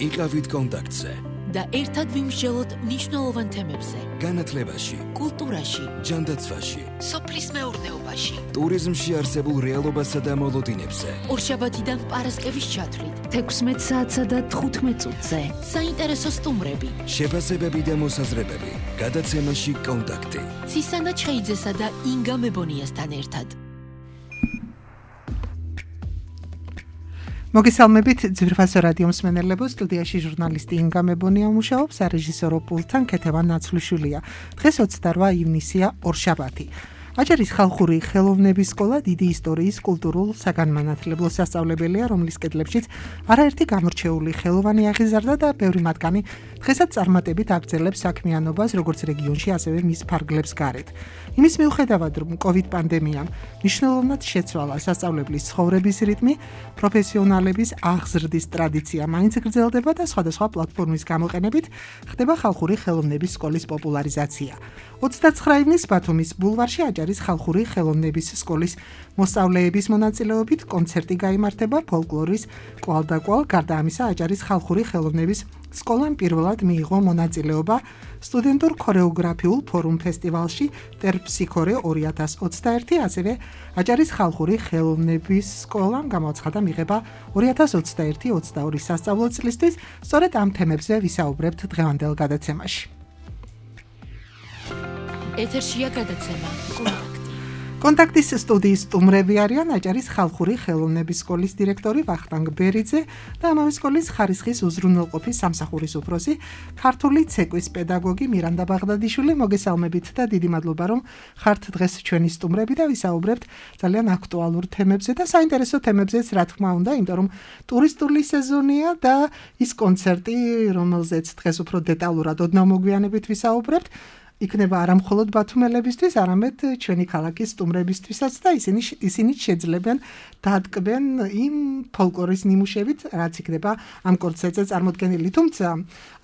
იყავით კონტაქტზე და ერთად ვიმსჯელოთ მნიშვნელოვან თემებზე. განათლებაში, კულტურაში, ჯანდაცვაში, სოფლის მეურნეობაში, ტურიზმში არსებულ რეალობასა და მოლოდინებზე. ორშაბათიდან პარასკევის ჩათვლით, 16 საათსა და 15 წუთზე. საინტერესო სტუმრები, შეფასებები და მოსაზრებები. გადაცემაში კონტაქტი. ცისანა ჩხეიძესა და ინგა მებონიასთან ერთად. მოგესალმებით ძვირფასო რადიო მსმენელებო, სტუდიაში ჟურნალისტი ინგა მებონია მუშაობს, სარეჟისორო პულტთან ქეთევან ნაცვლიშვილია. დღეს 28 ივნისია, ორშაბათი. აჭარის ხალხური ხელოვნების სკოლა დიდი ისტორიის კულტურულ საგანმანათლებლო სასწავლებელია, რომლის კედლებშიც არაერთი გამორჩეული ხელოვანი აღიზარდა და ბევრი მათგანი დღესაც წარმატებით აგრძელებს საქმიანობას როგორც რეგიონში, ასევე მის ფარგლებს გარეთ. იმის მიუხედავად, რომ COVID პანდემიამ მნიშვნელოვნად შეცვალა სასწავლებლის ცხოვრების რიტმი, პროფესიონალების აღზრდის ტრადიცია მაინც გრძელდება და სხვადასხვა პლატფორმის გამოყენებით ხდება ხალხური ხელოვნების სკოლის პოპულარიზაცია. 29 ივნის ბათუმის ბულვარში აჭარის ხალხური ხელოვნების სკოლის მოსწავლეების მონაწილეობით კონცერტი გაიმართება ფოლკლორის კვალდაკვალ. გარდა ამისა, აჭარის ხალხური ხელოვნების სკოლამ პირველად მიიღო მონაწილეობა სტუდენტურ ქორეოგრაფიულ ფორუმ ფესტივალში ტერფსიქორე 2021, ასევე აჭარის ხალხური ხელოვნების სკოლამ გამოაცხადა მიღება 2021-22 სასწავლო წლისთვის. სწორედ ამ თემებზე ვისაუბრებთ დღევანდელ გადაცემაში. ეთერშია გადაცემა კონტაქტის სტუდიის სტუმრები არიან აჭარის ხალხური ხელოვნების სკოლის დირექტორი ვახტანგ ბერიძე და ამავე სკოლის ხარისხის უზრუნველყოფის სამსახურის უფროსი, ქართული ცეკვის პედაგოგი მირანდა ბაღდადიშვილი. მოგესალმებით და დიდი მადლობა, რომ ხართ დღეს ჩვენი სტუმრები და ვისაუბრებთ ძალიან აქტუალურ თემებზე და საინტერესო თემებზეც, რა თქმა უნდა, იმიტომ რომ ტურისტული სეზონია და ის კონცერტი, რომელზეც დღეს უფრო დეტალურად ოდნავ მოგვიანებით ვისაუბრებთ, იქნება არა მხოლოდ ბათუმელებისთვის, არამედ ჩვენი ქალაქის სტუმრებისთვისაც და ისინი შეძლებენ დადგმენ იმ ფოლკლორის ნიმუშებით, რაც იქნება ამ კონცერტზე წარმოდგენილი. თუმცა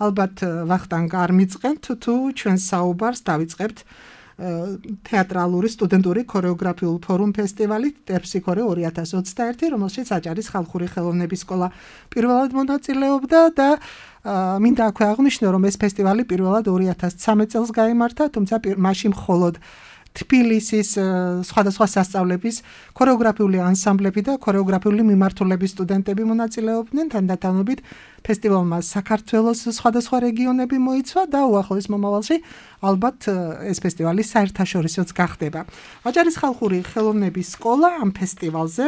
ალბათ ვახტანგ არ მიწყენთ თუ ჩვენ საუბარს დავიწყებთ თეატრალური სტუდენტური ქორეოგრაფიულ ფორუმ ფესტივალი ტერფსიქორე 2021, რომელშიც აჭარის ხალხური ხელოვნების სკოლა პირველად მონაწილეობდა და მინდა აქვე აღვნიშნო, რომ ეს ფესტივალი პირველად 2013 წელს გაიმართა, თუმცა მაშინ მხოლოდ თბილისის სხვადასხვა სასწავლების ქორეოგრაფიული ანსამბლები და ქორეოგრაფიული მიმართულების სტუდენტები მონაწილეობდნენ. თანდათანობით ფესტივალმა საქართველოს სხვადასხვა რეგიონები მოიცვა და უახლოეს მომავალში ალბათ ეს ფესტივალი საერთაშორისოც გახდება. აჭარის ხალხური ხელოვნების სკოლა ამ ფესტივალზე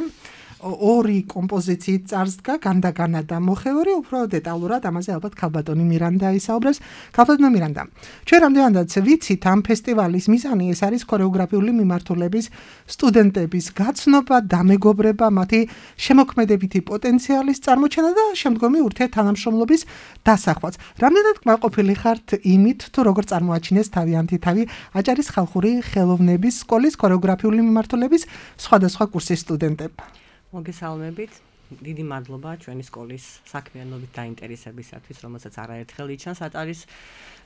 ორი კომპოზიციით წარსდგა, განდაგანა და მოხევრი. უფრო დეტალურად ამაზე ალბათ ქალბატონი მირანდა ისაუბრებს. ქალბატონო მირანდა, ჩვენ რამდენადაც ვიცით, ამ ფესტივალის მიზანი ეს არის ქორეოგრაფიული მიმართულების სტუდენტების გაცნობა, დამეგობრება, მათი შემოქმედებითი პოტენციალის წარმოჩენა და შემდგომი ურთიერთთანამშრომლობის დასახვაც. რამდენად კმაყოფილი ხართ იმით, თუ როგორ წარმოაჩინეს თავიანთი თავი აჭარის ხალხური ხელოვნების სკოლის ქორეოგრაფიული მიმართულების სხვადასხვა კურსის სტუდენტებმა? მოგესალმებით, დიდი მადლობა ჩვენი სკოლის საქმიანობით დაინტერესებისათვის, რომელსაც არაერთხელ იჩანს აჭარის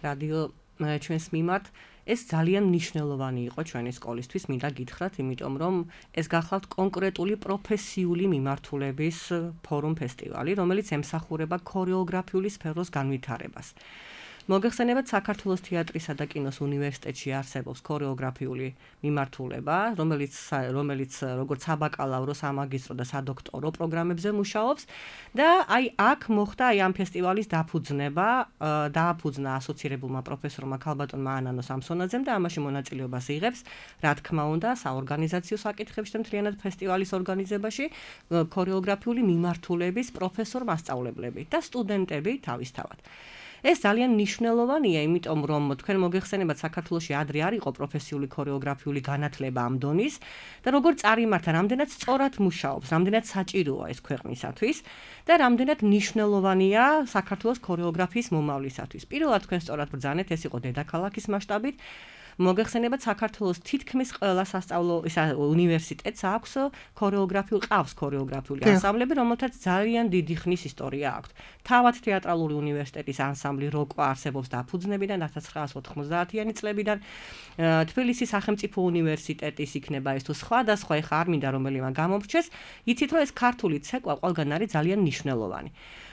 რადიო ჩვენს მიმართ. ეს ძალიან მნიშვნელოვანი იყო ჩვენი სკოლისთვის, მინდა გითხრათ, იმიტომ რომ ეს გახლავთ კონკრეტული პროფესიული მიმართულების ფორუმ ფესტივალი, რომელიც ემსახურება ქორეოგრაფიული სფეროს განვითარებას. მოგეხსენებათ, საქართველოს თეატრისა და კინოს უნივერსიტეტში არსებობს ქორეოგრაფიული მიმართულება, რომელიც როგორც საბაკალავრო, სამაგისტრო და სადოქტორო პროგრამებზე მუშაობს და აქ მოხდა ამ ფესტივალის დააფუძნა ასოცირებულმა პროფესორმა ქალბატონმა ანანო სამსონაძემ და ამაში მონაწილეობას იღებს, რა თქმა უნდა, საორგანიზაციო საკითხებში და მთლიანად ფესტივალის ორგანიზებაში ქორეოგრაფიული მიმართულების პროფესორ-მასწავლებლები და სტუდენტები თავისთავად. ეს ძალიან მნიშვნელოვანია, იმიტომ რომ თქვენ მოგეხსენებათ, საქართველოში ადრე არ იყო პროფესიული ქორეოგრაფიული განათლება ამ დონის და როგორ წარიმართა, რამდენად სწორად მუშაობს, რამდენად საჭიროა ეს ქვეყნისათვის და რამდენად მნიშვნელოვანია საქართველოს ქორეოგრაფიის მომავლისათვის. პირველად თქვენ სწორად ბრძანეთ, ეს იყო დედაქალაქის მასშტაბით. მოგეხსენებათ საქართველოს თითქმის ყველა სასწავლო უნივერსიტეტს აქვს ყავს ქორეოგრაფიული ანსამბლები, რომელთაც ძალიან დიდი ხნის ისტორია აქვს. თავად თეატრალური უნივერსიტეტის ანსამბლი როკვა არსებობს დაფუძნებიდან 1990-იანი წლებიდან. თბილისის სახელმწიფო უნივერსიტეტის იქნება ეს თუ სხვადასხვა ეხა არ მინდა რომელიმე გამომრჩეს, იცით რომ ეს ქართული ცეკვა ყველგან არის ძალიან მნიშვნელოვანი.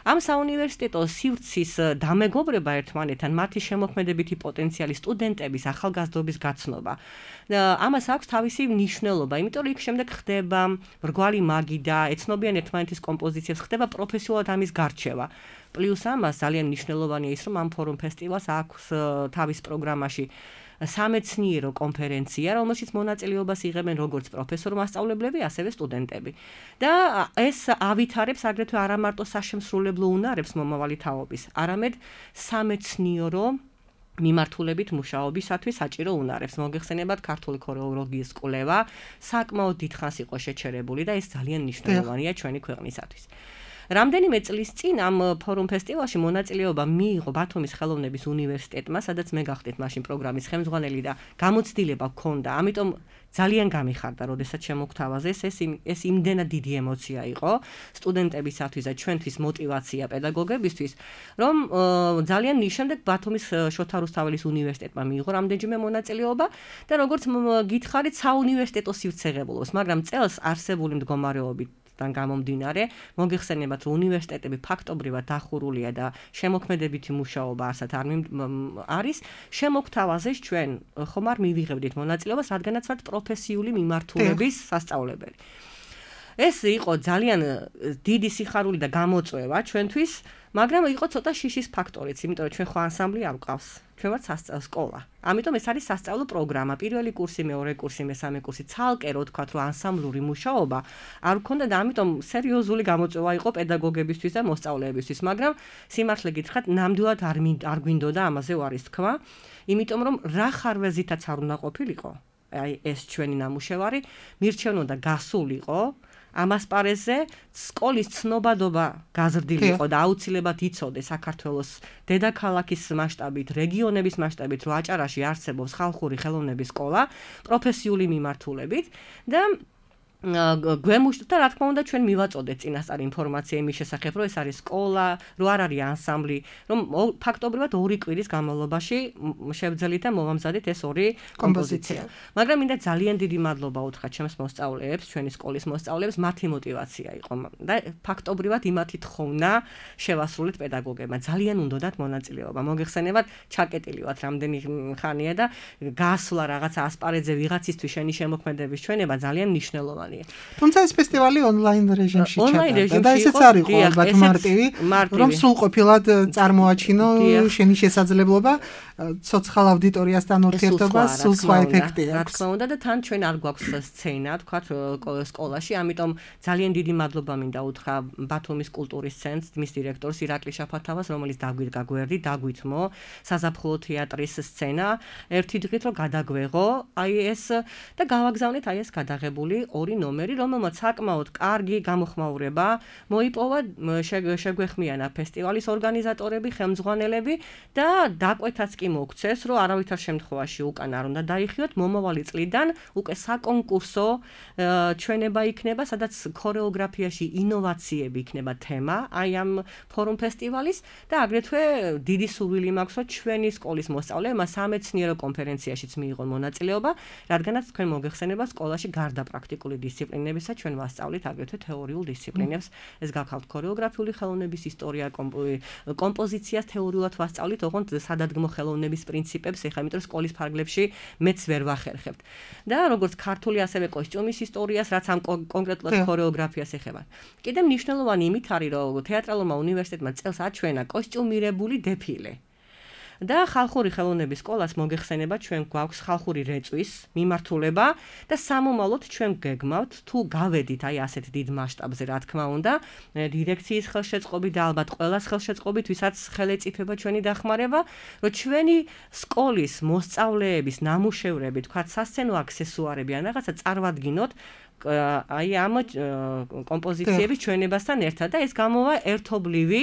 ამ საუნივერსიტეტო სივრცის დამეგობრება ერთმანეთთან, მათი შემოქმედებითი პოტენციალი, სტუდენტების ახალგაზრდობის გაცნობა. ამას აქვს თავისი მნიშვნელობა, იმიტომ რომ იქ შემდეგ ხდება მრგვალი მაგიდა, ეცნობიან ერთმანეთის კომპოზიციებს, ხდება პროფესიულად ამის გარჩევა. პლუს ამას ძალიან მნიშვნელოვანია ის, რომ ამ ფორუმ ფესტივალს აქვს თავის პროგრამაში სამეცნიერო კონფერენცია, რომელშიც მონაწილეობას იღებენ როგორც პროფესორ-მასწავლებლები, ასევე სტუდენტები. და ეს ავითარებს აგრეთვე არა მარტო საშემსრულებლო უნარებს მომავალი თაობის, არამედ სამეცნიერო მიმართულებით მუშაობისათვის საჭირო უნარებს. მოგეხსენებათ ქართული ქორეოგრაფიის კვლევა საკმაოდ დიდხანს იყო შეჩერებული და ეს ძალიან მნიშვნელოვანია ჩვენი ქვეყნისათვის. რამდენიმე წლის წინ ამ ფორუმ ფესტივალში მონაწილეობა მიიღო ბათუმის ხელოვნების უნივერსიტეტმა, სადაც მე გახდით მაშინ პროგრამის ხელმძღვანელი და გამოცდილება ჰქონდა. ამიტომ ძალიან გამიხარდა, როდესაც შემოგთავაზეს ეს იმდენად დიდი ემოცია იყო სტუდენტებისათვის და ჩვენთვის მოტივაცია პედაგოგებისთვის, რომ ძალიან შემდეგ ბათუმის შოთა რუსთაველის უნივერსიტეტმა მიიღო რამდენჯერმე მონაწილეობა და როგორც გითხარით, საუნივერსიტეტო სივრცეღებულობს, მაგრამ წელს არსებული მდგომარეობით გამომდინარე, მოგეხსენებათ, რომ უნივერსიტეტები ფაქტობრივად დახურულია და შემოქმედებითი მუშაობა არსად არის, შემოგთავაზეს ჩვენ ხომ არ მივიღებდით მონაწილეობას, რადგანაც ვართ პროფესიული მიმართულების სასწავლებელი. ეს იყო ძალიან დიდი სიხარული და გამოწვევა ჩვენთვის, მაგრამ იყო ცოტა შიშის ფაქტორიც, იმიტომ რომ ჩვენ ხო ანსამბლი არ გვყავს. ჩვენ ვართ სკოლა. ამიტომ ეს არის სასწავლო პროგრამა. პირველი კურსი, მეორე კურსი, მესამე კურსი, ცალკე რო თქვათ, რომ ანსამბლური მუშაობა არ გქონდა და ამიტომ სერიოზული გამოწვევა იყო პედაგოგებისთვის და მოსწავლეებისთვის, მაგრამ სიმართლე გითხრათ, ნამდვილად არ გვინდოდა ამაზე ვარის თქვა, იმიტომ რომ რა ხარვეზითაც არ უნდა ყოფილიყო. აი ეს ჩვენი ნამუშევარი მირჩევნოდა გასულიყო ამ ასპარეზზე, სკოლის ცნობადობა გაზრდილიყო და აუცილებლად იცოდე საქართველოს დედაქალაქის მასშტაბით, რეგიონების მასშტაბით, რომ აჭარაში არსებობს ხალხური ხელოვნების სკოლა, პროფესიული მიმართულებით და გვემუშტა, რა თქმა უნდა, ჩვენ მივაწოდეთ წინასწარ ინფორმაცია იმის შესახებ, რომ ეს არის სკოლა, რომ არ არის ანსამბლი, რომ ფაქტობრივად 2 კვირის განმავლობაში შევძელით და მოვამზადეთ ეს 2 კომპოზიცია. მაგრამ მინდა ძალიან დიდი მადლობა უთხრა ჩემს მოსწავლეებს, ჩვენი სკოლის მოსწავლეებს, მათი мотиваცია იყო და ფაქტობრივად იმათი თხოვნა შევასრულეთ პედაგოგებმა. ძალიან უნდათ მონაწილეობა. მოგეხსენებათ, ჩაკეტილი ვართ რამდენი ხანია და გასვლა რაღაცა ასპარეზზე ვიღაცისთვის შენი შემოქმედების ჩვენება ძალიან მნიშვნელოვანია. თუმცა ეს ფესტივალი ონლაინ რეჟიმში ჩატარდა და ესეც არ იყო ალბათ მარტივი, რომ სრულყოფილად წარმოაჩინო შენი შესაძლებლობა ცოცხალ აუდიტორიასთან ურთიერთობა, სულ სხვა ეფექტი აქვს. რა თქმა უნდა და თან ჩვენ არ გვაქვს სცენა, თქვათ სკოლაში, ამიტომ ძალიან დიდი მადლობა მინდა უთხრა ბათუმის კულტურის ცენტრს, მის დირექტორს ირაკლი შაფათავას, რომელიც დაგვითმო საზაფხულო თეატრის სცენა, ერთი დღით რომ გადაგვეღო, აი ეს და გავაგზავნეთ აი ეს გადაღებული 2 ნომერი, რომელმაც საკმაოდ კარგი გამოხმაურება მოიპოვა, შეგვეხმიანა ფესტივალის ორგანიზატორები, ხელმძღვანელები და დაკვეთაც კი მოგცეს, რომ არავითარ შემთხვევაში უკან არ უნდა დაიხიოთ, მომავალი წლიდან უკვე საკონკურსო ჩვენება იქნება, სადაც ქორეოგრაფიაში ინოვაციები იქნება თემა, აი ამ ფორუმ ფესტივალის და აგრეთვე დიდი სურვილი მაქვს, რომ ჩვენი სკოლის მოსწავლეებმა სამეცნიერო კონფერენციაშიც მიიღონ მონაწილეობა, რადგანაც თქვენ მოგეხსენება სკოლაში გარდა პრაქტიკული დისციპლინებისა ჩვენ ვასწავლით აგრეთვე თეორიულ დისციპლინებს. ეს გახავთ ქორეოგრაფიული ხელოვნების ისტორია, კომპოზიციას თეორიულად ვასწავლით, ოღონდ სადადგმო ხელოვნების პრინციპებს, ეხლა იმიტომ სკოლის ფარგლებში მეც ვერ ვახერხებთ. და როგორც ქართული, ასევე კოსტიუმის ისტორიას, რაც ამ კონკრეტულად ქორეოგრაფიას ეხება. კიდევ მნიშვნელოვანი იმით არის, რომ თეატრალურმა უნივერსიტეტმა წელს აჩვენა კოსტიუმირებული დეფილე. და ხალხური ხელოვნების სკოლას მოგეხსენება, ჩვენ გვაქვს ხალხური რეწვის მიმართულება და სამომავლოდ ჩვენ გეგმავთ, თუ გავედით აი ასეთ დიდ მასშტაბზე, რა თქმა უნდა, დირექციის ხელშეწყობით და ალბათ ყველას ხელშეწყობით, ვისაც ხელეწიფება ჩვენი დახმარება, რომ ჩვენი სკოლის მოსწავლეების ნამუშევრები, თქვათ, სასცენო აქსესუარები ან რაღაცა წარმოვადგინოთ აი ამ კომპოზიციების ჩვენებასთან ერთად და ეს გამოვა ერთობლივი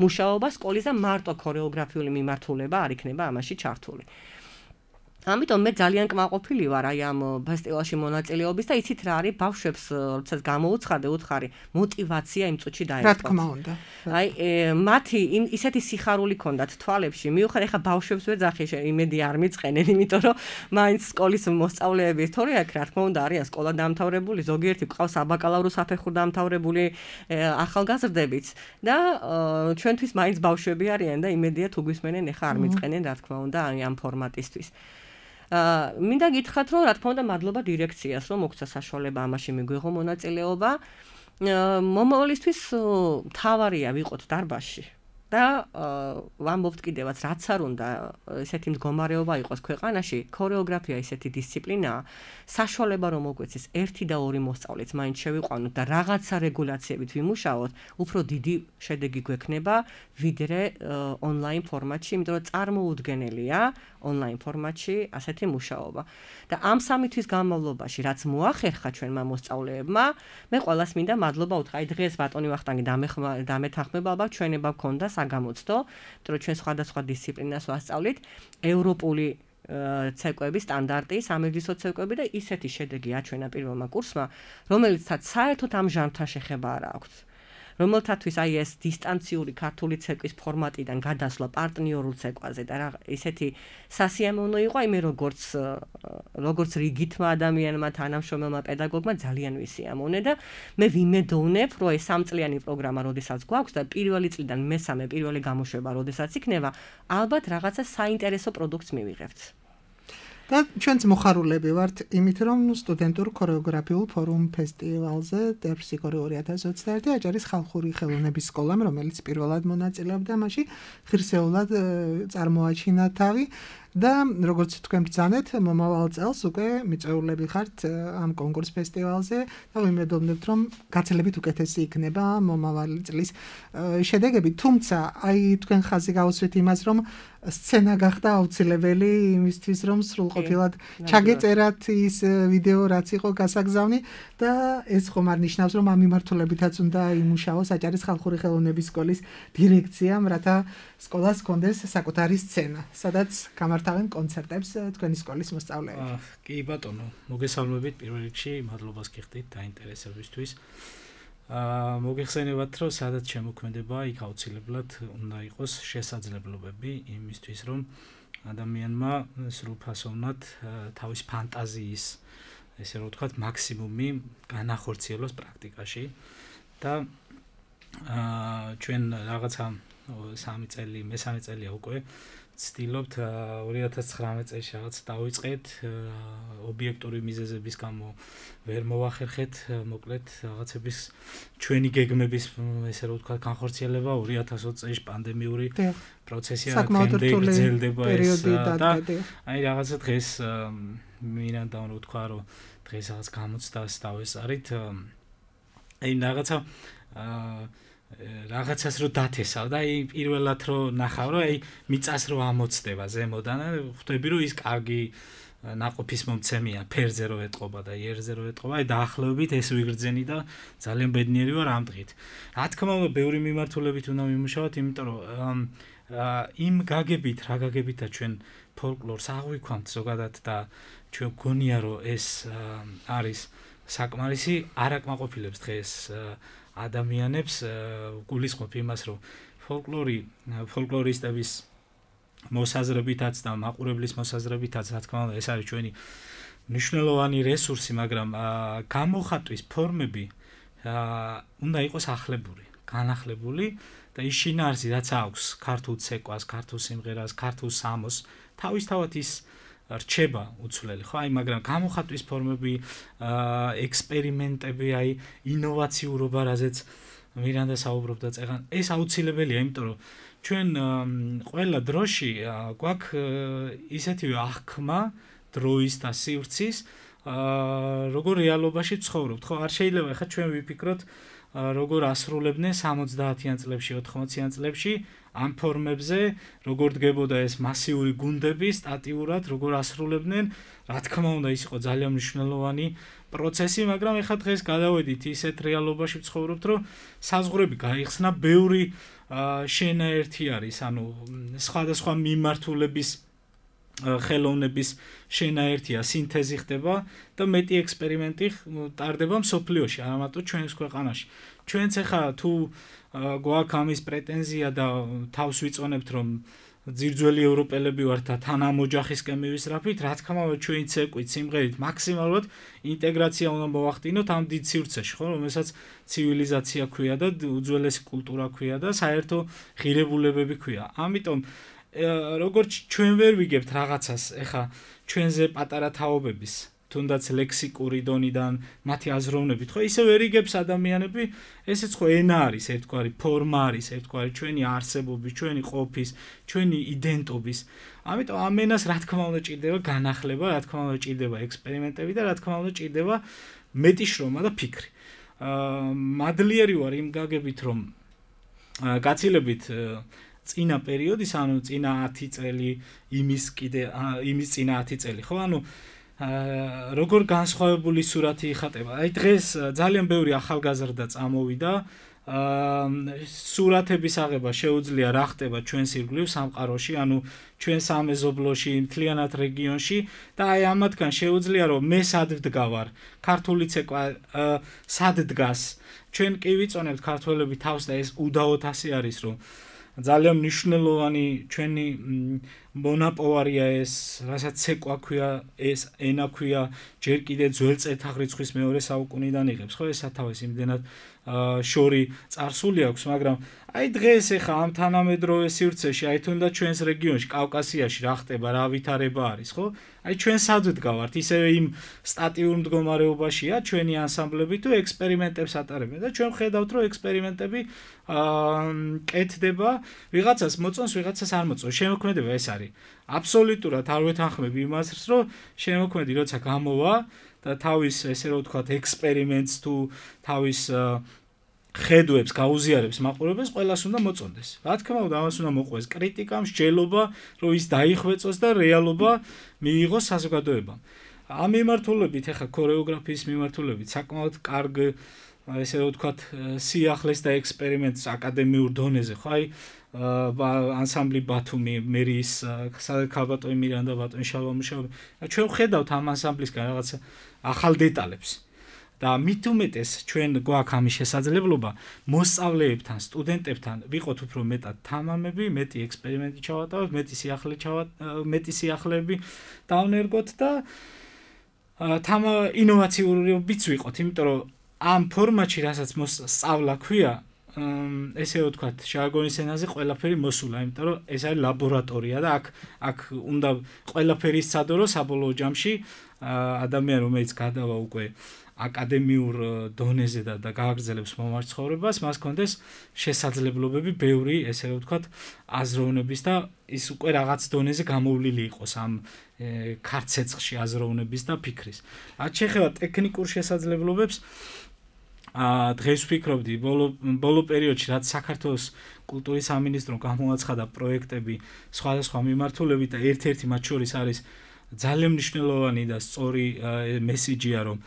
მუშაობა სკოლის და მარტო ქორეოგრაფიული მიმართულება არ იქნება ამაში ჩართული. ამიტომ მე ძალიან კმაყოფილი ვარ აი ამ ფესტივალში მონაწილეობის და იცით რა არის ბავშვებს როდესაც გამოუცხადე უთხარი მოტივაცია იმ წუთში დაეწყოთ. რა თქმა უნდა. აი მათი ისეთი სიხარული ქონდათ თვალებში. მიუხედავად ეხა ბავშვებს ვეძახი იმედი არ მიწყენენ, იმიტომ რომ მაინც სკოლის მოსწავლეები თორე აქ რა თქმა უნდა არიან სკოლა დამთავრებული, ზოგიერთი ყავს საბაკალავრო საფეხურ დამთავრებული ახალგაზრდებიც და ჩვენთვის მაინც ბავშვები არიან და იმედია თუ გვისმენენ ეხა არ მიწყენენ რა თქმა უნდა ამ ფორმატისთვის. მინდა გითხრათ რომ რა თქმა უნდა მადლობა დირექციას რომ მოგცა საშუალება ამაში მიგვიღო მონაწილეობა. მომავალისთვის თავარია ვიყოთ დარბაზში და ვამბობთ კიდევაც რაც არ უნდა ესეთი მდგომარეობა იყოს ქვეყანაში, ქორეოგრაფია ესეთი დისციპლინაა, საშუალება რომ მოგვეცეს 1 და 2 მოსწავლეც მაინც შევიყვანოთ და რაღაცა რეგულაციებით ვიმუშაოთ, უფრო დიდი შედეგი გვექნება ვიდრე ონლაინ ფორმატში, იმიტომ რომ წარმოუდგენელია ონლაინ ფორმატში ასეთი მუშაობა. და ამ 3 თვის განმავლობაში რაც მოახერხა ჩვენმა მოსწავლეებმა, მე ყველას მინდა მადლობა უთხრა. აი დღეს ბატონი ვახტანგი დამეთანხმება ალბათ ჩვენება გქონდა საგამოცდო, იმიტომ რომ ჩვენ სხვადასხვა დისციპლინას ვასწავლით, ევროპული ცეკვები, სტანდარტი, სამედიცინო ცეკვები და ისეთი შედეგი აჩვენა პირველმა კურსმა, რომელიცაც საერთოდ ამ ჟანრთან შეხება არ აქვს. რომელთათვის აი ეს დისტანციური ქართული ცეკვის ფორმატიდან გადასვლა პარტნიორულ ცეკვაზე და ისეთი სასიამოვნო იყო, აი მე როგორც რიგითმა ადამიანმა, თანამშრომელმა პედაგოგმა ძალიან ვისიამოვნე და მე ვიმედოვნებ, რომ ეს 3 წლიანი პროგრამა, როდესაც გვაქვს და პირველი წლიდან მესამე პირველი გამოშვება, როდესაც იქნება, ალბათ რაღაცა საინტერესო პროდუქტს მივიღებთ. და ჩვენც მოხარულები ვართ იმით, რომ სტუდენტურ ქორეოგრაფიულ ფორუმ ფესტივალზე ტერფსიქორი 2021 აჭარის ხალხური ხელოვნების სკოლამ, რომელიც პირველად მონაწილეობდა მასში, ღირსეულად წარმოაჩინა თავი და როგორც თქვენ ბრძანეთ, მომავალ წელს უკვე მიწვეულები ხართ ამ კონკურს ფესტივალზე და ვიმედოვნებთ, რომ გაცილებით უკეთესი იქნება მომავალი წლის შედეგები. თუმცა, აი თქვენ ხაზი გაუსვით იმას, რომ სცენა გახდა აუცილებელი იმისთვის, რომ სრულყოფილად ჩაგეწერათ ის ვიდეო, რაც იყო გასაგზავნი და ეს ხომ არ ნიშნავს, რომ ამ მიმართულებითაც უნდა იმუშაოს აჭარის ხალხური ხელოვნების სკოლის დირექციამ, რათა სკოლას ჰქონდეს საკუთარი სცენა, სადაც გამართავენ კონცერტებს თქვენი სკოლის მოსწავლეები. კი ბატონო, მოგესალმებით პირველ რიგში, მადლობას გიხდით დაინტერესებისთვის. მოგეხსენებათ, რომ სადაც შემოქმედება, იქ აუცილებლად უნდა იყოს შესაძლებლობები იმისთვის, რომ ადამიანმა სრულფასოვნად თავის ფანტაზიის, ესე რომ ვთქვათ, მაქსიმუმი განახორციელოს პრაქტიკაში და ჩვენ რაღაცა 3 წელი, მესამე წელია უკვე ვცდილობთ 2019 წელს რაღაც დავიწყეთ ობიექტური მიზეზების გამო ვერ მოვახერხეთ მოკლედ რაღაცების ჩვენი გეგმების ესე რომ ვთქვათ განხორციელება 2020 წელს პანდემიური პროცესია გრძელდება ეს და აი რაღაცა დღეს მინდა რომ ვთქვა რომ დღეს რაღაც გამოცდას დავესწარით აი რაღაცას რო დათესავ და აი პირველად რო ნახავ რომ აი მიწას რო ამოცდება ზემოდან ხვდები რომ ის კარგი ნაყოფის მომცემია ფერზე რო ეტყობა და იერზე რო ეტყობა აი დაახლოებით ეს ვიგრძენი და ძალიან ბედნიერი ვარ ამ დღით რა თქმა უნდა ბევრი მიმართულებით უნდა ვიმუშაოთ იმიტომ რომ იმ გაგებით რა გაგებითა ჩვენ ფოლკლორს აღვიქვამთ ზოგადად და ჩვენ გონია რომ ეს არის საკმარისი არ აკმაყოფილებს დღეს ადამიანებს გულისხმობ იმას რომ ფოლკლორისტების მოსაზრებითაც და მაყურებლის მოსაზრებითაც რა თქმა უნდა ეს არის ჩვენი მნიშვნელოვანი რესურსი მაგრამ გამოხატვის ფორმები უნდა იყოს ახლებური განახლებული და ის შინაარსი რაც აქვს ქართულ ცეკვას, ქართულ სიმღერას, ქართულ სამოს თავისთავად ის რჩება უცვლელი ხო აი მაგრამ გამოხატვის ფორმები ექსპერიმენტები აი ინოვაციურობა რაზეც მირანდა საუბრობდა წეგან ეს აუცილებელია იმიტომ რომ ჩვენ ყველა დროში გვაქვს ისეთივე აღქმა დროის და სივრცის როგორ რეალობაში ცხოვრობთ ხო არ შეიძლება ხა ჩვენ ვიფიქროთ როგორ ასრულებდნენ 70-იან წლებში 80-იან წლებში ამ ფორმებზე როგორ დგებოდა ეს მასიური გუნდები სტატიურად როგორ ასრულებდნენ რა თქმა უნდა ის იყო ძალიან მნიშვნელოვანი პროცესი მაგრამ ეხლა დღეს გადავედით ისეთ რეალობაში ვცხოვრობთ რომ საზღვრები გაიხსნა ბევრი შენაერთი არის ანუ სხვადასხვა მიმართულების ხელოვნების შენაერთია, სინთეზი ხდება და მეტი ექსპერიმენტი ტარდება მსოფლიოში, არა მარტო ჩვენს ქვეყანაში. ჩვენც ახლა თუ გვაქვს ამის პრეტენზია და თავს ვიწონებთ რომ ძირძველი ევროპელები ვართ და თან ამ ოჯახისკენ მივისწრაფით, რა თქმა უნდა ჩვენი ცეკვით, სიმღერით მაქსიმალურად ინტეგრაცია უნდა მოვახდინოთ ამ დიდ სივრცეში, ხო, რომელსაც ცივილიზაცია ქვია და უძველესი კულტურა ქვია და საერთო ღირებულებები ქვია. ამიტომ როგორც ჩვენ ვერ ვიგებთ რაღაცას, ეხა ჩვენზე პატარა თაობების, თუნდაც ლექსიკური დონიდან, მათი აზროვნებით, ხო, ისე ვერ იგებს ადამიანები, ესეც ხო ენა არის, ერთგვარი ფორმა არის, ერთგვარი ჩვენი არსებობის, ჩვენი ყოფის, ჩვენი იდენტობის. ამიტომ ამ ენას რა თქმა უნდა ჭირდება განახლება, რა თქმა უნდა ჭირდება ექსპერიმენტები და რა თქმა უნდა ჭირდება მეტი შრომა და ფიქრი. მადლიერი ვარ იმ გაგებით, რომ გაცილებით წინა პერიოდის, ანუ წინა 10 წელი, იმის წინა 10 წელი, ხო, ანუ როგორ განსხვავებული სურათი იხატება. აი დღეს ძალიან ბევრი ახალგაზრდა წამოვიდა, სურათების აღება შეუძლია რა ხდება ჩვენს ირგვლივ სამყაროში, ანუ ჩვენ სამეზობლოში, მთლიანად რეგიონში და აი ამათგან შეუძლია რომ მე სად ვდგავარ, ქართული ცეკვა სად დგას. ჩვენ კი ვიწონებთ ქართველები თავს და ეს უდაოდ ასე არის რომ ძალიან მნიშვნელოვანი ჩვენი მონაპოვარია ეს, რასაც ცეკვა ქვია, ეს ენა ქვია, ჯერ კიდე ძველ წელთაღრიცხვის მეორე საუკუნიდან იღებს, ხო, ეს სათავეს იმდენად შორი წარსული აქვს, მაგრამ აი დღეს ეხა ამ თანამედროვე სივრცეში, აი თუნდაც ჩვენს რეგიონში, კავკასიაში რა ხდება, რა ვითარება არის, ხო? აი ჩვენ სად ვდგავართ, ისევე იმ სტატიურ მდგომარეობაშია ჩვენი ანსამბლები თუ ექსპერიმენტებს ატარებენ და ჩვენ ხედავთ, რომ ექსპერიმენტები კეთდება, ვიღაცას მოწონს, ვიღაცას არ მოწონს. შემოქმედება ეს არის. აბსოლუტურად არ ვეთანხმები იმას, რომ შემოქმედი როცა გამოვა და თავის ესე რომ ვთქვათ ექსპერიმენტს თუ თავის ხედვებს გაუზიარებს მაყურებელს, ყველას უნდა მოწონდეს. რა თქმა უნდა, ამას უნდა მოყვეს კრიტიკა, მსჯელობა, რომ ის დაიხვეწოს და რეალობა მიიღოს საზოგადოებამ. ამ მიმართულებით, ახლა ქორეოგრაფიის მიმართულებით, საკმაოდ კარგ ესე რომ ვთქვათ სიახლეს და ექსპერიმენტს აკადემიურ დონეზე, ხო, აი ანსამბლი ბათუმი, მერის ქალბატონი მირანდა, ბატონი შალვა. ჩვენ ვხედავთ ამ ანსამბლისგან რაღაცა ახალ დეტალებს. და მით უმეტეს ჩვენ გვაქვს ამის შესაძლებლობა მოსწავლეებთან, სტუდენტებთან ვიყოთ უფრო მეტად თამამები, მეტი ექსპერიმენტი ჩავატაროთ, მეტი სიახლეები დავნერგოთ და ინოვაციურობიც ვიყოთ, იმიტომ რომ ამ ფორმატში, რასაც სწავლა ქვია, ესე ვთქვათ, ჟარგონის ენაზე ყველაფერი მოსულა, იმიტომ რომ ეს არის ლაბორატორია და აქ უნდა ყველაფერი სცადო საბოლოო ჯამში ადამიანი, რომელიც გადავა უკვე აკადემიურ დონეზე და გააგრძელებს მომავალ ცხოვრებას, მას კონდეს შესაძლებლობები ბევრი, ესე ვთქვათ, აზროვნების და ის უკვე რაღაც დონეზე გამოვლილი იყოს ამ ქარცეცხლში აზროვნების და ფიქრის. რაც შეეხება ტექნიკურ შესაძლებლობებს, დღეს ვფიქრობდი ბოლო პერიოდში, რაც საქართველოს კულტურის სამინისტრომ გამოაცხადა პროექტები სხვადასხვა მიმართულებით და ერთ-ერთი მათ შორის არის ძალიან მნიშვნელოვანი და სწორი მესიჯია, რომ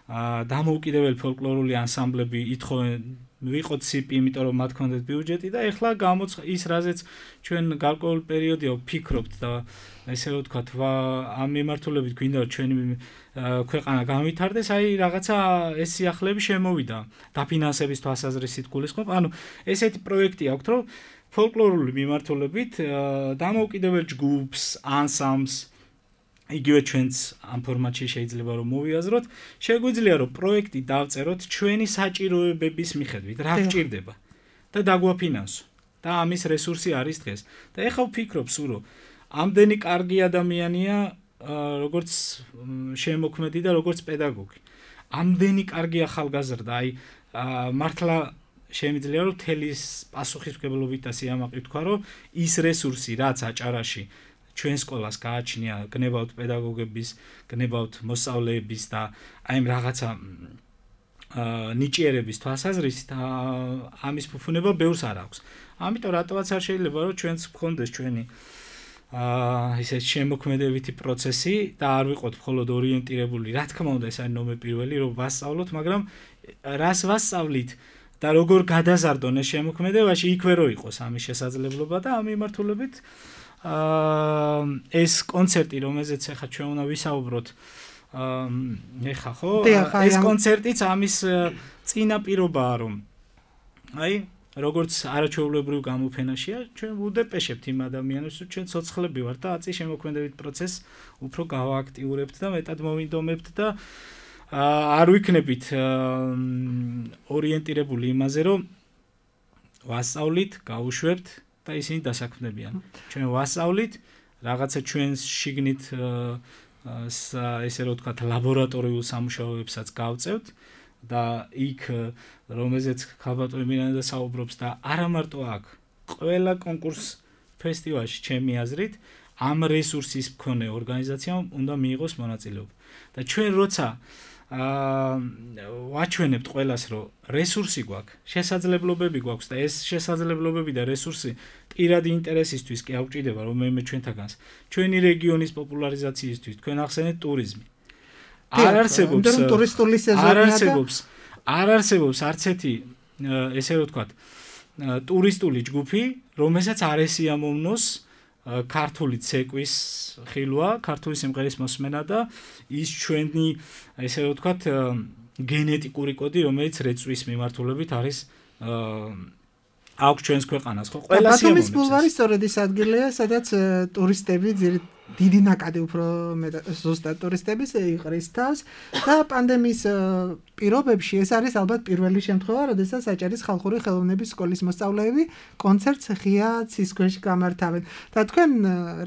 დამოუკიდებელი ფოლკლორული ანსამბლები ითხოვენ ვიყოთ CP, იმიტომ რომ მათ ქონდეთ ბიუჯეტი და ეხლა ის რაზეც ჩვენ გარკვეულ პერიოდია ვფიქრობთ და ესე რომ ვთქვათ, ამ მიმართულებით გვინდა რომ ჩვენი ქვეყანა განვითარდეს, აი რაღაცა ეს სიახლეები შემოვიდა დაფინანსების თვალსაზრისით გულისხმობ. ანუ ესეთი პროექტი აქვს, რომ ფოლკლორული მიმართულებით დამოუკიდებელ ჯგუფს, ანსამბლს იგივე ჩვენც ამ ფორმატში შეიძლება რომ მოვიაზროთ, შეგვიძლია რომ პროექტი დავწეროთ ჩვენი საჭიროებების მიხედვით, რა გვჭირდება და დაგვაფინანსო. და ამის რესურსი არის დღეს. და ეხლა ვფიქრობ სულ რომ ამდენი კარგი ადამიანია, როგორც შემოქმედი და როგორც პედაგოგი. ამდენი კარგი ახალგაზრდა, აი მართლა შემიძლია რომ თელის პასუხისმგებლობით და სიამაყით თქვა, რომ ის რესურსი, რაც აჭარაში ჩვენ სკოლას გააჩნია, გნებავთ პედაგოგების, გნებავთ მოსწავლეების და აი რაღაცა ნიჭიერების თვალსაზრისით ამის ფუფუნება ბევრს არ აქვს. ამიტომ რატომაც არ შეიძლება რომ ჩვენც გქონდეს ჩვენი ისე შემოქმედებითი პროცესი და არ ვიყოთ მხოლოდ ორიენტირებული, რა თქმა უნდა ეს არის ნომერ პირველი, რომ ვასწავლოთ, მაგრამ რას ვასწავლით და როგორ გადაზარდონ ეს შემოქმედებაში, იქვე რო იყოს ამის შესაძლებლობა და ამ მიმართულებით ეს კონცერტი, რომელზეც ახლა ჩვენ უნდა ვისაუბროთ, ეხა ხო? ეს კონცერტიც ამის წინაპირობაა, რომ აი როგორც არაჩვეულებრივ გამოფენაშია, ჩვენ ვუდეპეშებთ იმ ადამიანებს, რომ ჩვენ ცოცხლები ვართ და აწი შემოქმედებით პროცესს უფრო გავააქტიურებთ და მეტად მოვინდომებთ და არ ვიქნებით ორიენტირებული იმაზე, რომ ვასწავლით, გავუშვებთ და ისინი დასაქმდებიან. ჩვენ ვასწავლით, რაღაცა ჩვენს შიგნით ესე რომ ვთქვათ, ლაბორატორიულ სამუშაოებსაც გავწევთ და იქ რომელზეც ხალბატონი მირანდა საუბრობს და არა მარტო აქ, ყველა კონკურს ფესტივალში ჩემი აზრით ამ რესურსის მქონე ორგანიზაციამ უნდა მიიღოს მონაწილეობა. და ჩვენ როცა ვაჩვენებთ ყველას, რომ რესურსი გვაქვს, შესაძლებლობები გვაქვს და ეს შესაძლებლობები და რესურსი პირადი ინტერესისთვის კი აუჭირდება, რომ მე ჩვენთაგანს, ჩვენი რეგიონის პოპულარიზაციისთვის, თქვენ ახსენეთ ტურიზმი. არ არსებობს ტურისტული სეზონია და არ არსებობს არც ერთი ესე რომ ვთქვათ, ტურისტული ჯგუფი, რომელსაც არ ესიამოვნოს ქართული ცეკვის ხილვა, ქართული სიმღერის მოსმენა და ის ჩვენი ესე რომ ვთქვათ, გენეტიკური კოდი, რომელიც რეწვის მიმართულებით არის აქვს ჩვენს ქვეყანას, ხო? ყველა სიამოვნებს. ბათუმის ბულვარი სწორედ ის ადგილია, სადაც ტურისტები დიდი ნაკადი უფრო ზუსტად ტურისტების იყრის თავს და პანდემიის პირობებში ეს არის ალბათ პირველი შემთხვევა, როდესაც აჭარის ხალხური ხელოვნების სკოლის მოსწავლეები კონცერტს ღია ცის ქვეშ გამართავენ. და თქვენ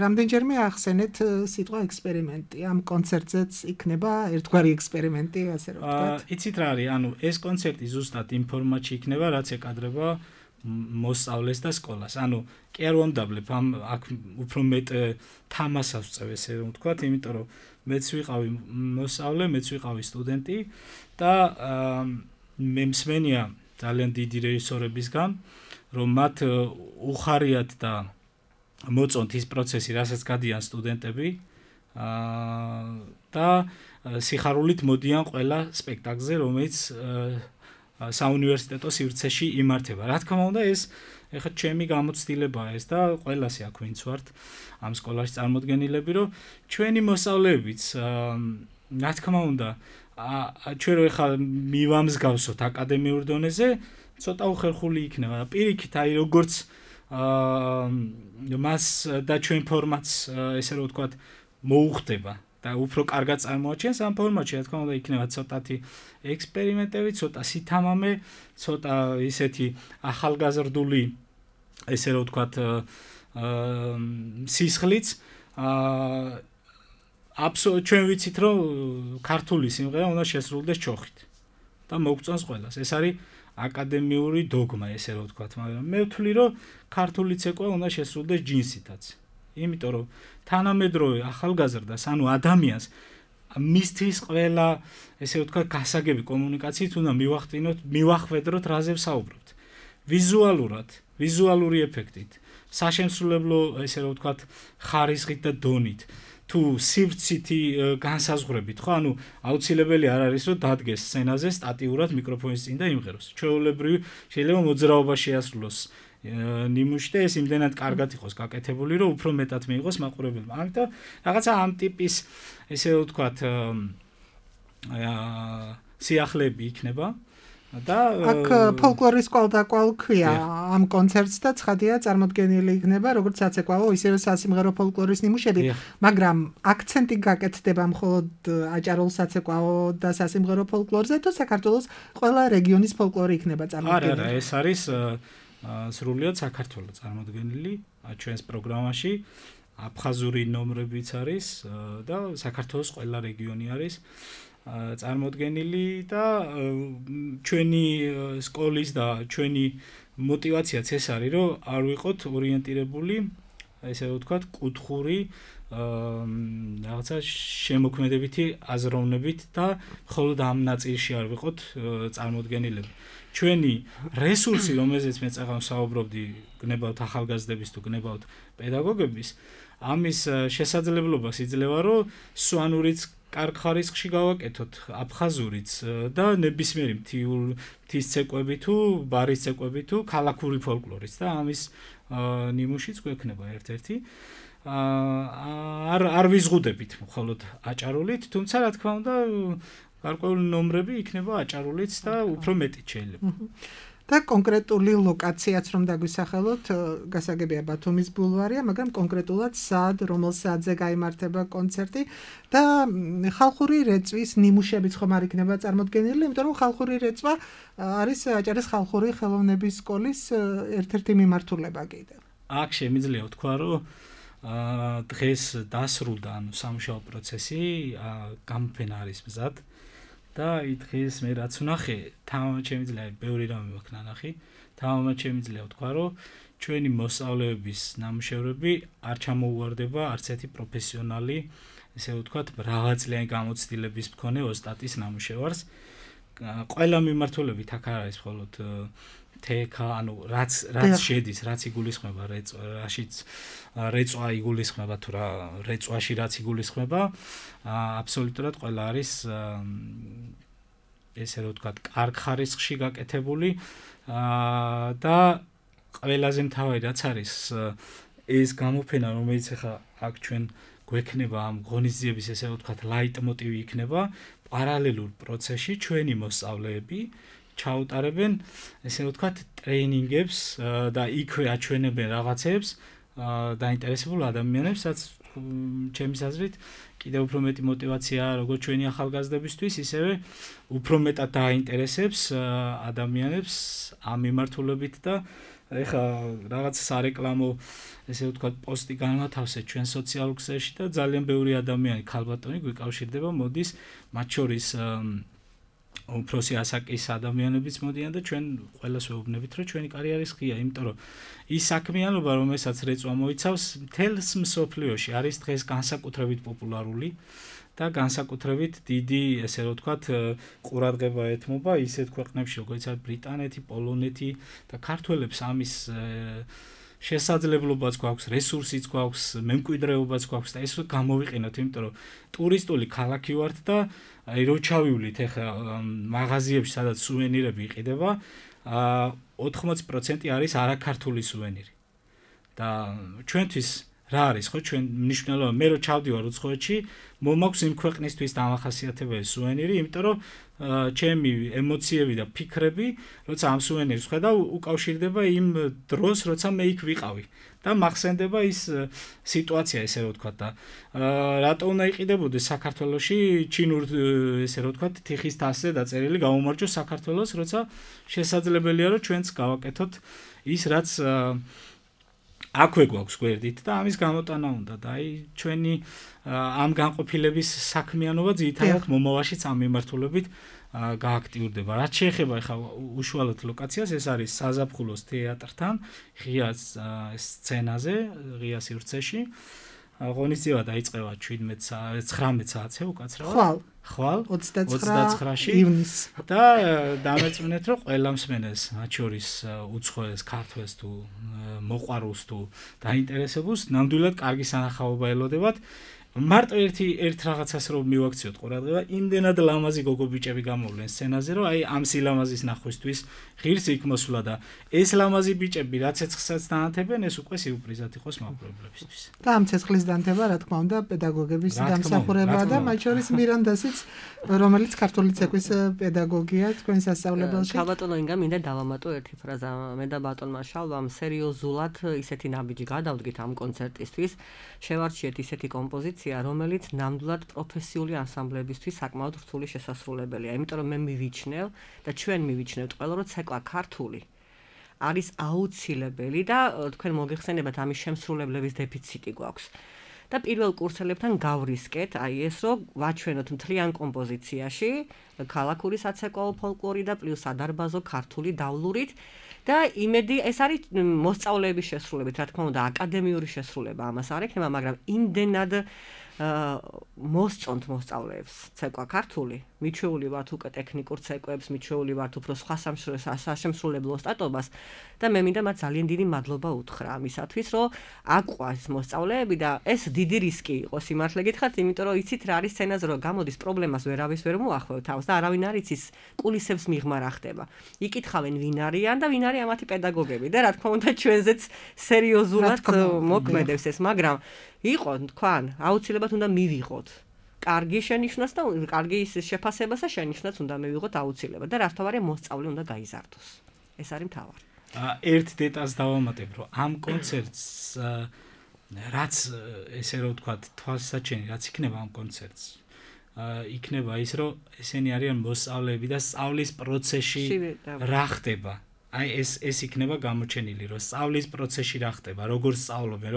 რამდენჯერმე ახსენეთ სიტყვა ექსპერიმენტი. ამ კონცერტზეც იქნება ერთგვარი ექსპერიმენტი, ასე რომ ვთქვათ. იცით რა არის, ანუ ეს კონცერტი ზუსტად იმ ფორმატში იქნება, რაც ეკადრება მოსწავლეს და სკოლას. ანუ კი არ ვამდაბლებ აქ უფრო მეტ თამასას ვწევ, ესე რომ ვთქვათ, იმიტომ რომ მეც ვიყავი მოსწავლე, მეც ვიყავი სტუდენტი და მე მსმენია ძალიან დიდი რეჟისორებისგან, რომ მათ უხარიათ და მოწონთ ის პროცესი, რასაც გადიან სტუდენტები და სიხარულით მოდიან ყველა სპექტაკლზე, რომელიც საუნივერსიტეტო სივრცეში იმართება. რა თქმა უნდა, ეს ეხლა ჩემი გამოცდილებაა ეს და ყველასი აქ ვინც ვართ ამ სკოლაში წარმოდგენილები, რომ ჩვენი მოსწავლეებიც რა თქმა უნდა, ჩვენ რო ეხლა მივამსგავსოთ აკადემიურ დონეზე, ცოტა უხერხული იქნება. პირიქით, აი როგორც მას და ჩვენ ფორმატს ესე რომ ვთქვათ, მოუხდება და უფრო კარგად წარმოაჩენს ამ ფორმატში, რა თქმა უნდა, იქნება ცოტათი ექსპერიმენტები, ცოტა სითამამე, ცოტა ისეთი ახალგაზრდული, ესე რომ ვთქვათ, სისხლიც. ჩვენ ვიცით, რომ ქართული სიმღერა უნდა შესრულდეს ჩოხით და მოგწონს ყველას. ეს არის აკადემიური დოგმა, ესე რომ ვთქვათ, მაგრამ მე ვთვლი, რომ ქართული ცეკვა უნდა შესრულდეს ჯინსითაც. იმიტომ რომ თანამედროვე ახალგაზრდას, ანუ ადამიანს მისთვის ყველა ესე ვთქვათ გასაგები კომუნიკაციით უნდა მივახვედროთ რაზე ვსაუბრობთ. ვიზუალურად, ვიზუალური ეფექტით, საშემსრულებლო ესე რომ ვთქვათ ხარისხით და დონით, თუ სივრცითი განსაზღვრებით, ხო, ანუ აუცილებელი არ არის რომ დადგეს სცენაზე სტატიურად მიკროფონის წინ და იმღეროს. ჩვეულებრივი შეიძლება მოძრაობა შეასრულოს ნიმუში და ეს იმდენად კარგად იყოს გაკეთებული, რომ უფრო მეტად მიიღოს მაყურებელმა. ამიტომ რაღაცა ამ ტიპის ესე რომ ვთქვათ სიახლეები იქნება და აქ ფოლკლორის კვალდაკვალ ქვია ამ კონცერტს და ცხადია წარმოდგენილი იქნება როგორც საცეკვაო, ისევე სასიმღერო ფოლკლორის ნიმუშები, მაგრამ აქცენტი გაკეთდება მხოლოდ აჭარულ საცეკვაო და სასიმღერო ფოლკლორზე, თუ საქართველოს ყველა რეგიონის ფოლკლორი იქნება წარმოდგენილი? არა, ეს არის სრულიად საქართველოს წარმოდგენილი ჩვენს პროგრამაში. აფხაზური ნომრებიც არის და საქართველოს ყველა რეგიონი არის წარმოდგენილი და ჩვენი სკოლის და ჩვენი мотиваციაც ეს არის, რომ არ ვიყოთ ორიენტირებული, ესე ვთქვათ, კუთხური რაღაცა შემოქმედებითი აზროვნებით და მხოლოდ ამ ნაწილში არ ვიყოთ წარმოდგენილები. ჩვენი რესურსი, რომელზეც მე წაღამ საუბრობდი, გნებავთ ახალგაზრდების თუ გნებავთ პედაგოგების, ამის შესაძლებლობას იძლევა, რომ სვანურიც კარგ ხარისხში გავაკეთოთ აფხაზურიც და ნებისმიერი მთის ცეკვები თუ ბარის ცეკვები თუ ქალაქური ფოლკლორიც და ამის ნიმუშიც გვექნება ერთ-ერთი არ ვიზღუდებით მხოლოდ აჭარულით, თუმცა რა თქმა უნდა გარკვეული ნომრები იქნება აჭარულიც და უფრო მეტი შეიძლება. და კონკრეტული ლოკაციაც რომ დაგვისახელოთ, გასაგებია ბათუმის ბულვარია, მაგრამ კონკრეტულად სად, რომელ საათზე გაიმართება კონცერტი და ხალხური რეწვის ნიმუშებიც ხომ არ იქნება წარმოდგენილი, იმიტომ რომ ხალხური რეწვა არის აჭარის ხალხური ხელოვნების სკოლის ერთ-ერთი მიმართულება კიდევ. აქ შემიძლია ვთქვა, რომ დღეს დასრულდა სამუშაო პროცესი, გამოფენა არის მზად. და დღეს მე რაც ვნახე, თამამად შემიძლია ბევრი რამე მაქვს ნანახი. თამამად შემიძლია ვთქვა, რომ ჩვენი მოსწავლეების ნამუშევრები არ ჩამოუვარდება არც ერთი პროფესიონალი, ესე ვთქვათ, მრავალწლიანი გამოცდილების მქონე ოსტატის ნამუშევარს. ყველა მიმართულებით აქ არ არის მხოლოდ თექა, ანუ რაც შედის, რაც იგულისხმება რაშიც რეწვა იგულისხმება თუ რა რეწვაში რაც იგულისხმება, აბსოლუტურად ყველა არის ესე რომ ვთქვათ, კარგ ხარისხში გაკეთებული და ყველაზე მთავარი რაც არის ეს გამოფენა, რომელიც ახლა აქ ჩვენ გვექნება ამ ღონისძიების ესე ვთქვათ, ლაიტმოტივი იქნება პარალელურ პროცესში ჩვენი მოსწავლეები ჩაუტარებენ ესე ვთქვათ ტრეინინგებს და იქვე აჩვენებენ რაღაცებს დაინტერესებულ ადამიანებს, რაც ჩემის აზრით კიდევ უფრო მეტი мотиваციაა როგორც ჩვენი ახალგაზრდებისთვის, ისევე უფრო მეტად დაინტერესებს ადამიანებს ამ მიმართულებით და ეხლა რაღაც სარეკლამო ესე ვთქვათ პოსტი განვათავსეთ ჩვენ სოციალურ ქსელში და ძალიან ბევრი ადამიანი ქალბატონი გვიკავშირდება, მოდის მათ შორის უფროსი ასაკის ადამიანებიც მოდიან და ჩვენ ყველას ვეუბნებით, რომ ჩვენი კარიერის ღია, იმიტომ რომ ის საქმიანობა, რომელსაც რეწვა მოიცავს, მთელს მსოფლიოში არის დღეს განსაკუთრებით პოპულარული და განსაკუთრებით დიდი, ესე რომ ვთქვათ, ყურადღება ეთმობა ისეთ ქვეყნებში, როგორც არის ბრიტანეთი, პოლონეთი და ქართველებს ამის შესაძლებლობაც გვაქვს, რესურსიც გვაქვს, მემკვიდრეობაც გვაქვს და ეს გამოვიყენოთ, იმიტომ რომ ტურისტული ქალაქი ვართ და რო ჩავივლით ახლა მაღაზიებში, სადაც სუვენირები იყიდება, 80% არის არაქართული სუვენირი. და ჩვენთვის რა არის, ხო, ჩვენ მნიშვნელობა, მე რო ჩავდივარ უცხოეთში, მომაქვს იმ ქვეყნისთვის დამახასიათებელი სუვენირი, იმიტომ რომ ჩემი ემოციები და ფიქრები, როცა ამ სუვენირს ხედავ, უკავშირდება იმ დროს, როცა მე იქ ვიყავი. და მახსენდება ის სიტუაცია, ესე რომ ვთქვათ და რატო უნდა იყიდებოდეს საქართველოში ჩინურ ესე რომ ვთქვათ თიხის თასზე დაწერილი გამომარჯოს საქართველოს, როცა შესაძლებელია რომ ჩვენც გავაკეთოთ ის რაც აქვე გვაქვს გვერდით და ამის გამოტანა უნდა და აი ჩვენი ამ განყოფილების საქმიანობა ძირითადად მომავალშიც ამ მიმართულებით გააქტიურდება. რაც შეეხება ახლა უშუალოდ ლოკაციას, ეს არის საზაფხულოს თეატრთან, ღია სცენაზე, ღია სივრცეში. ღონისძიება დაიწყება 19 საათზე უკაცრავად. ხვალ 29 ივნისს და დამერწმუნეთ, რომ ყველა მსმენელს, მათ შორის უცხოეს, ქართველს თუ მოყვარულს თუ დაინტერესებულს, ნამდვილად კარგი სანახაობა ელოდებათ. მარტო ერთ რაღაცას რომ მივაქციოთ ყურადღება, იმდენად ლამაზი გოგო-ბიჭები გამოვლენ სცენაზე, რომ აი ამ სილამაზის ნახვისთვის ღირსი იქ მოსვლა და ეს ლამაზი ბიჭები რაც ცეცხლსაც დაანთებენ, ეს უკვე სიურპრიზად იყოს მაყურებლებისთვის. და ამ ცეცხლის დანთება, რა თქმა უნდა, პედაგოგების დამსახურებაა და მათ შორის მირანდასიც, რომელიც ქართული ცეკვის პედაგოგია თქვენ სასწავლებელში. ქალბატონო ინგა, მინდა დავამატო ერთი ფრაზა. მე და ბატონმა შალვამ სერიოზულად ისეთი ნაბიჯი გადავდგით ამ კონცერტისთვის. შევარჩიეთ ისეთი კომპოზიცია, რომელიც ნამდვილად პროფესიული ანსამბლებისთვის საკმაოდ რთული შესასრულებელია. იმიტომ რომ მე მივიჩნევ და ჩვენ მივიჩნევთ ყველა, რომ ცეკვა ქართული არის აუცილებელი და თქვენ მოგეხსენებათ ამის შემსრულებლების დეფიციტი გვაქვს. და პირველ კურსელებთან გავრისკეთ, აი ეს რომ ვაჩვენოთ მთლიან კომპოზიციაში ქალაქური საცეკვაო ფოლკლორი და პლუს ადარბაზო ქართული დავლურით და იმედი ეს არის მოსწავლეების შესრულებით, რა თქმა უნდა, აკადემიური შესრულება ამას არ ექნება, მაგრამ იმდენად მოსწონთ მოსწავლეებს ცეკვა ქართული, მიჩვეული ვართ უკვე ტექნიკურ ცეკვებს, მიჩვეული ვართ უფრო სხვა საშემსრულებლო სტატობას და მე მინდა მათ ძალიან დიდი მადლობა უთხრა ამისათვის, რომ აყვას მოსწავლეები და ეს დიდი რისკი იყო სიმართლე გითხრათ, იმიტომ რომ იცით რა არის სცენაზე, რომ გამოდის პრობლემას ვერავის ვერ მოახვევ თავს და არავინ არ იცის კულისებს მიღმა რა ხდება. იკითხავენ ვინ არიან და ვინ არის ამათი პედაგოგები და რა თქმა უნდა ჩვენზეც სერიოზულად მოქმედებს ეს, მაგრამ იყო თქვან, აუცილებლად უნდა მივიღოთ კარგი შენიშვნას და კარგი შეფასებას და შენიშვნაც უნდა მივიღოთ აუცილებლად და რაც თავარია მოსწავლე უნდა გაიზარდოს. ეს არის მთავარი. ერთ დეტალს დავამატებ, რომ ამ კონცერტს რაც ესე რომ ვთქვათ, თვალსაჩინო რაც იქნება ამ კონცერტს. იქნება ის, რომ ესენი არიან მოსწავლეები და სწავლის პროცესში რა ხდება. აი ეს იქნება გამოჩენილი, რომ სწავლის პროცესში რა ხდება, როგორ სწავლობენ,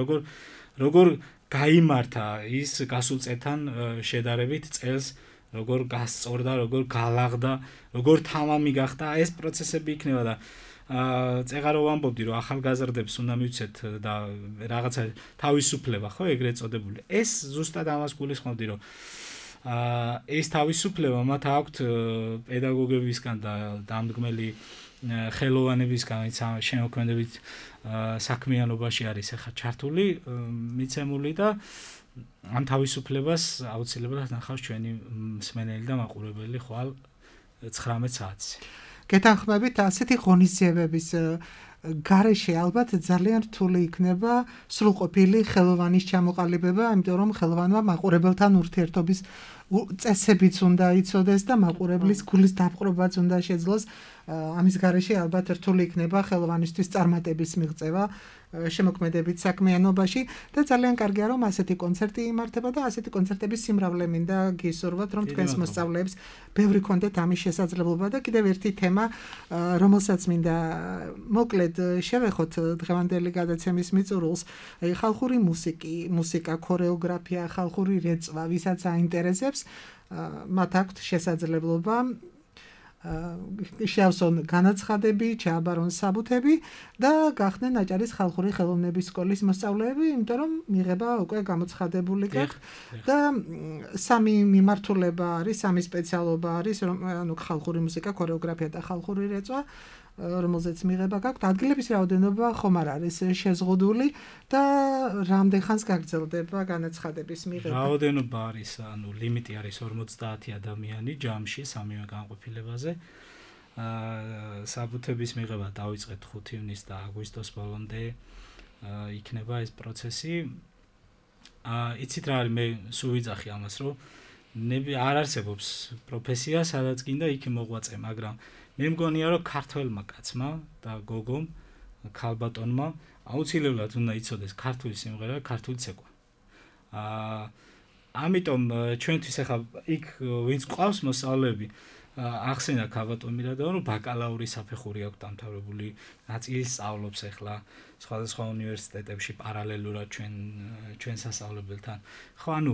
როგორ გაიმართა ის გასულ წელთან შედარებით წელს, როგორ გასწორდა, როგორ გალაღდა, როგორ თამამი გახდა, ეს პროცესები იქნება და წეღარო ვამბობდი, რომ ახალგაზრდებს უნდა მივცეთ და რაღაცა თავისუფლება, ხო, ეგრეთ წოდებული. ეს ზუსტად ამას გულისხმობდი, რომ ეს თავისუფლება მათ აქვთ პედაგოგებისგან და დამდგმელი ხელოვანებისგან, ვინც შემოქმედებით საქმიანობაში არის ახლა ჩართული, მიცემული და ამ თავისუფლებას აუცილებლად ნახავს ჩვენი მსმენელი და მაყურებელი ხვალ 19 საათზე. გეთანხმებით ასეთი ღონისძიებების გარეშე ალბათ ძალიან რთული იქნება სრულყოფილი ხელოვანის ჩამოყალიბება, იმიტომ რომ ხელოვანმა მაყურებელთან ურთიერთობის წესებიც უნდა იცოდეს და მაყურებლის გულის დაპყრობაც უნდა შეძლოს. ამის გარეშე ალბათ რთული იქნება ხელოვანისთვის წარმატების მიღწევა შემოქმედებით საქმიანობაში და ძალიან კარგია რომ ასეთი კონცერტი იმართება და ასეთი კონცერტების სიმრავლე მინდა გისურვოთ რომ თქვენს მოსწავლეებს ბევრი კონდეთ ამის შესაძლებლობა და კიდევ ერთი თემა რომელსაც მინდა მოკლედ შევეხოთ დღევანდელი გადაცემის მიწურულს ხალხური მუსიკა, ქორეოგრაფია, ხალხური რეწვა, ვისაც აინტერესებს მათ აქვთ შესაძლებლობა შეავსონ განაცხადები, ჩააბარონ საბუთები და გახდნენ აჭარის ხალხური ხელოვნების სკოლის მოსწავლეები, იმიტომ რომ მიღება უკვე გამოცხადებული გაქვთ და სამი მიმართულება არის, სამი სპეციალობა არის, ანუ ხალხური მუსიკა, ქორეოგრაფია და ხალხური რეწვა, რომელზეც მიღება გაქვთ. ადგილების რაოდენობა ხომ არ არის შეზღუდული და რამდენ ხანს გაგრძელდება განაცხადების მიღება? რაოდენობა არის, ანუ ლიმიტი არის 50 ადამიანი ჯამში სამივე განყოფილებაზე. საბუთების მიღება დავიწყეთ 5 ივნისს და აგვისტოს ბოლომდე იქნება ეს პროცესი. იცით რა არის, მე სულ ვიძახი ამას, რომ არ არსებობს პროფესია, სადაც გინდა იქ მოღვაწე, მაგრამ მე მგონია რომ ქართველმა კაცმა და გოგომ, ქალბატონმა აუცილებლად უნდა იცოდეს ქართული სიმღერა, ქართული ცეკვა. ამიტომ ჩვენთვის ახლა იქ ვინც ყავს მოსწავლეები, ახსენა ქალბატონ მირადავა, რომ ბაკალავრის საფეხური აქვს დამთავრებული, ნაწილი სწავლობს ახლა სხვადასხვა უნივერსიტეტებში პარალელურად ჩვენ სასწავლებელთან. ხო, ანუ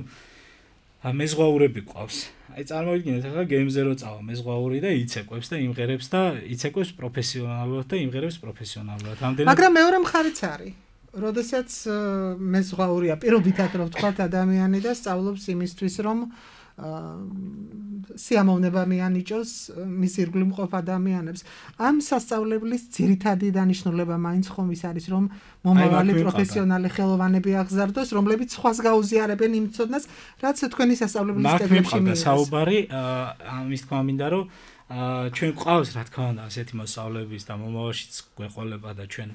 მეზღვაურები ყავს. აი წარმოვიდგინეთ ახლა გემზე რო წავა მეზღვაური და იცეკვებს და იმღერებს და იცეკვებს პროფესიონალურად და იმღერებს პროფესიონალურად. მაგრამ მეორე მხარიც არის. როდესაც მეზღვაურია პირობითად რო ვთქვათ ადამიანი და სწავლობს იმისთვის რომ სიამოვნება მიანიჭოს მის ირგვლივ მყოფ ადამიანებს. ამ სასწავლებლის ძირითადი დანიშნულება მაინც ხომ ის არის რომ მომავალი პროფესიონალი ხელოვანები აღზარდოს, რომლებიც სხვას გაუზიარებენ იმ ცოდნას, რაც თქვენი სასწავლებლის სტეპებში მიიღეს. საუბარი ამის თქმა მინდა რომ ჩვენ გვყავს რა თქმა უნდა ასეთი მოსწავლეების და მომავალშიც გვეყოლება და ჩვენ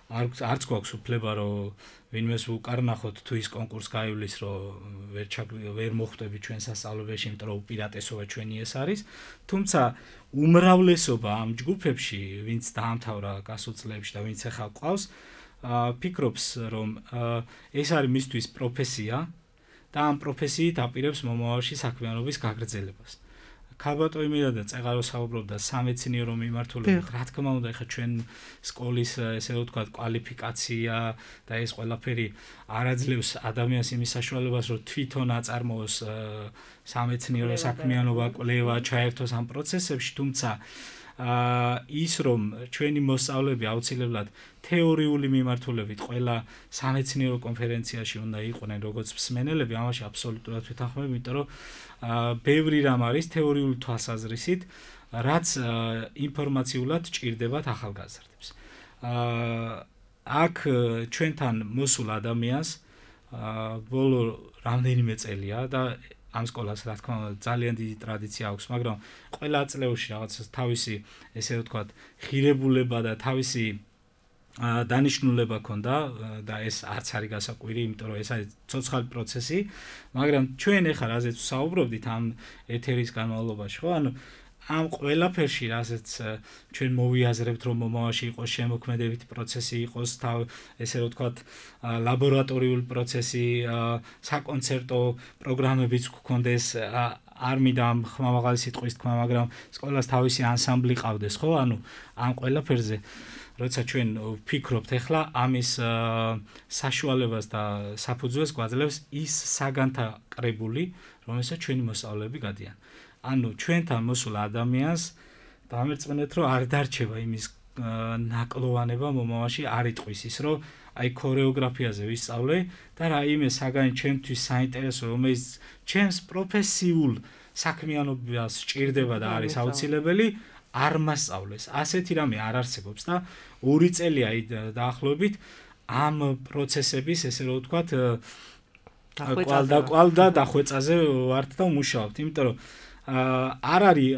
არც გვაქვს უფლება რომ ვინმეს უკარნახოთ თუ ის კონკურს გაივლის რომ ვერ მოხვდები ჩვენ სასწავლებელში, იმიტომ რომ უპირატესობა ჩვენი ეს არის. თუმცა უმრავლესობა ამ ჯგუფებში, ვინც დაამთავრა გასულ წლებში და ვინც ახლა ყავს, ფიქრობს რომ ეს არის მისთვის პროფესია და ამ პროფესიით აპირებს მომავალში საქმიანობის გაგრძელებას. ქალბატონი მირადა წეღარო საუბრობდა სამეცნიერო მიმართულებით. რა თქმა უნდა, ეხლა ჩვენ სკოლის ესე ვთქვათ კვალიფიკაცია და ეს ყველაფერი არაძლევს ადამიანს იმის საშუალებას, რომ თვითონ აწარმოოს სამეცნიერო საქმიანობა, კვლევა, ჩაერთოს ამ პროცესებში, თუმცა ის რომ ჩვენი მოსწავლეები აუცილებლად თეორიული მიმართულებით ყველა სამეცნიერო კონფერენციაში უნდა იყვნენ როგორც მსმენელები, ამაში აბსოლუტურად ვეთანხმები, იმიტომ რომ ბევრი რამ არის თეორიული თვალსაზრისით, რაც ინფორმაციულად ჭირდებათ ახალგაზრდებს. აქ ჩვენთან მოსულ ადამიანს ბოლო რამდენიმე წელია და ამ სკოლას რა თქმა უნდა ძალიან დიდი ტრადიცია აქვს, მაგრამ ყველა წლებში რაღაც თავისი ესე ვთქვათ ღირებულება და თავისი დანიშნულება ქონდა და ეს არც არის გასაკვირი, იმიტომ რომ ეს არის ცოცხალი პროცესი, მაგრამ ჩვენ ახლა რაზეც ვსაუბრობდით ამ ეთერის განმავლობაში, ხო? ანუ ამ ყველაფერში, რასაც ჩვენ მოვიაზრებთ, რომ მომავალში იყოს შემოქმედებითი პროცესი, იყოს ესე რომ ვთქვათ, ლაბორატორიული პროცესი, საკონცერტო პროგრამებიც გქონდეს, არ მინდა ხმამაღალი სიტყვის თქმა, მაგრამ სკოლას თავისი ანსამბლი ყავდეს, ხო? ანუ ამ ყველაფერზე როცა ჩვენ ვფიქრობთ ახლა ამის საშუალებას და საფუძველს გვაძლევს ის საგანთა კრებული, რომელსაც ჩვენი მოსწავლეები გადიან. ანუ ჩვენთან მოსულ ადამიანს დამერწმუნეთ, რომ არ დარჩება იმის ნაკლოვანება მომავალში არ იტყვის ის, რომ აი ქორეოგრაფიაზე ვისწავლე და რაიმე საგანი ჩემთვის საინტერესო, რომელიც ჩემს პროფესიულ საქმიანობას სჭირდება და არის აუცილებელი, არ მასწავლეს. ასეთი რამე არ არსებობს და 2 წელია დაახლოებით ამ პროცესების, ესე რომ ვთქვათ, კვალდა დახვეწაზე ვართ და ვმუშაობთ, იმიტომ რომ არ არის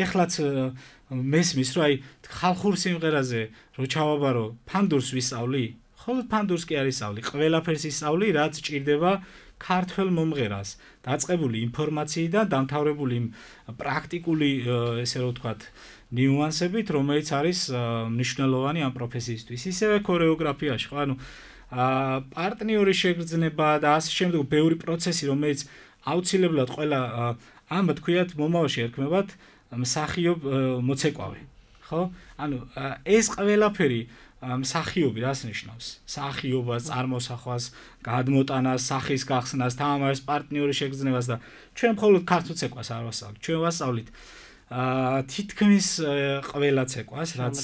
ეხლაც მესმის, რომ აი ხალხურ სიმღერაზე რო ჩავაბარო, ფანდურს ვისწავლი, ხოლმე ფანდურს კი არ ისწავლი, ყველაფერს ისწავლი, რაც ჭირდება ქართველ მომღერალს, დაწყებული ინფორმაციიდან, დამთავრებული პრაქტიკული, ესე რომ ვთქვათ, ნიუანსებით, რომელიც არის მნიშვნელოვანი ამ პროფესიისთვის. ისევე ქორეოგრაფიაში, ხო, ანუ პარტნიორი შეგრძნება და ასე შემდეგ, ბევრი პროცესი, რომელიც აუცილებლად ყველა ამ თქვიათ მომავალში ერქმევათ მსახიობ მოცეკვავე, ხო? ანუ ეს ყველაფერი მსახიობი რას ნიშნავს? მსახიობას, წარმოსახვას, გადმოტანას, სახის გახსნას, თამაშის პარტნიორი შეგრძნებას და ჩვენ მხოლოდ ქართულ ცეკვას არ ვასწავლით. ჩვენ ვასწავლით თითქმის ყველა ცეკვას, რაც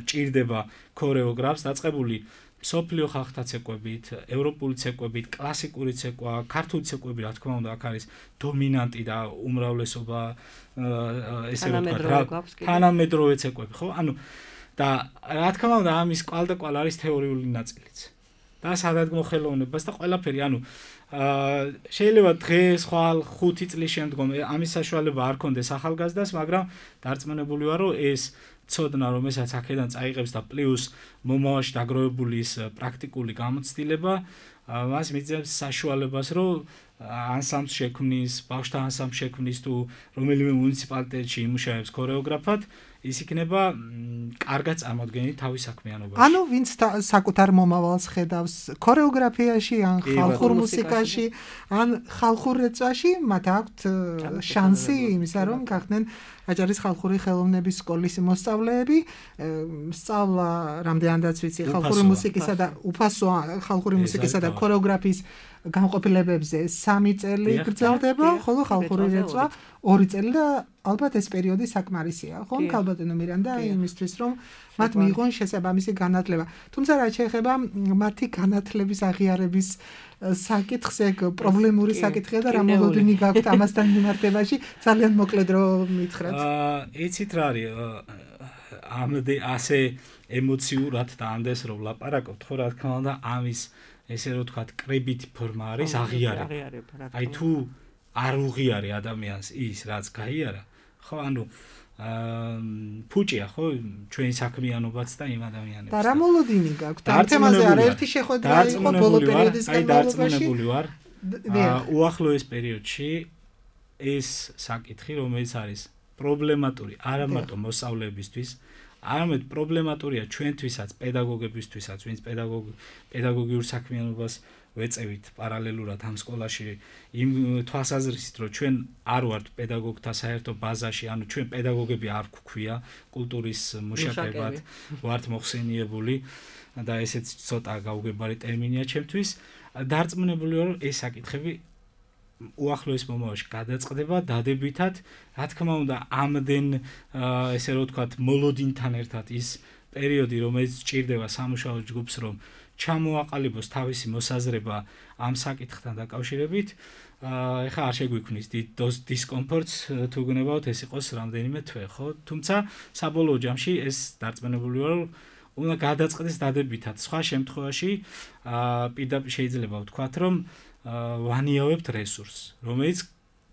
ჭირდება ქორეოგრაფს, დაწყებული სოფლიო ხალხთა ცეკვებით, ევროპული ცეკვებით, კლასიკური ცეკვა, ქართული ცეკვები, რა თქმა უნდა, აქ არის დომინანტი და უმრავლესობა, ესე ვთქვათ, თანამედროვე ცეკვები, ხო? ანუ და რა თქმა უნდა, ამის კვალდაკვალ არის თეორიული ნაწილიც. და სადადგმო ხელოვნებას და ყველაფერი, ანუ შეიძლება დღეს, ხვალ 5 წლის შემდგომ ამის საშუალება არ ქონდეს ახალგაზრდას, მაგრამ დარწმუნებული ვარ, რომ ეს ცოდნა, რომელსაც აქედან წაიღებს და პლუს მომავალში დაგროვებული ის პრაქტიკული გამოცდილება, მას მიძებს საშუალებას, რომ ანსამბლს შექმნის, ბავშვთა ანსამბლს შექმნის თუ რომელიმე მუნიციპალიტეტში იმუშავებს ქორეოგრაფად, ის იქნება კარგად წარმოდგენილი თავის საქმიანობაში. ანუ ვინც საკუთარ მომავალს ხედავს ქორეოგრაფიაში, ან ხალხურ მუსიკაში, ან ხალხურ რეწვაში, მათ აქვთ შანსი იმისა, რომ გახდნენ აჭარის ხალხური ხელოვნების სკოლის მოსწავლეები, სწავლა რამდენადაც ვიცი ხალხური მუსიკისა და უფასო ხალხური მუსიკისა და ქორეოგრაფიის განყოფილებებზე 3 წელი გრძელდება, ხოლო ხალხური რეწვა 2 წელი და ალბათ ეს პერიოდი საკმარისია, ხო? ქალბატონო მირანდა იმისთვის, რომ მათ მიიღონ შესაბამისი განათლება. თუმცა რაც შეეხება მათი განათლების აღიარების საკითხს, ეგ პრობლემური საკითხია და რა მოლოდინი გაქვთ ამასთან მიმართებაში, ძალიან მოკლედ რომ მითხრათ. იცით რა არის, ასე ემოციურად და ამდენს რომ ვლაპარაკობთ, ხო, რა თქმა უნდა, ამის ესე რომ ვთქვათ, კრებითი ფორმა არის აღიარება. აი თუ არ უღიარე ადამიანს ის, რაც გაიარა, ხო, ანუ ფუჭია, ხო, ჩვენი საქმიანობაც და იმ ადამიანებს. და რა მოლოდინი გაქვთ? ამ თემაზე არაერთი შეხვედრა იყო ბოლო პერიოდის განმავლობაში. დარწმუნებული ვარ. უახლოეს პერიოდში ეს საკითხი, რომელიც არის პრობლემატური არა მარტო მოსწავლეებისთვის, არამედ პრობლემატურია ჩვენთვისაც, პედაგოგებისთვისაც, ვინც პედაგოგიურ საქმიანობას ვეწევით პარალელურად ამ სკოლაში, იმ თვალსაზრისით, რომ ჩვენ არ ვართ პედაგოგთა საერთო ბაზაში, ანუ ჩვენ პედაგოგები არ გვქვია, კულტურის მუშაკებად ვართ მოხსენიებული და ესეც ცოტა გაუგებარი ტერმინია ჩემთვის. დარწმუნებული ვარ, რომ ეს საკითხები უახლოეს მომავალში გადაწყდება დადებითად, რა თქმა უნდა, ამდენ ესე რომ ვთქვათ, მოლოდინთან ერთად ის პერიოდი, რომელიც სჭირდება სამუშაო ჯგუფს, რომ ჩამოაყალიბოს თავისი მოსაზრება ამ საკითხთან დაკავშირებით, ეხლა არ შეგვიქმნის დისკომფორტს თუ გნებავთ ეს იყოს რამდენიმე თვე, ხო? თუმცა საბოლოო ჯამში ეს დარწმუნებული ვარ, რომ უნდა გადაწყდეს დადებითად. სხვა შემთხვევაში პირდაპირ შეიძლება ვთქვათ, რომ ვანიავებთ რესურსს, რომელიც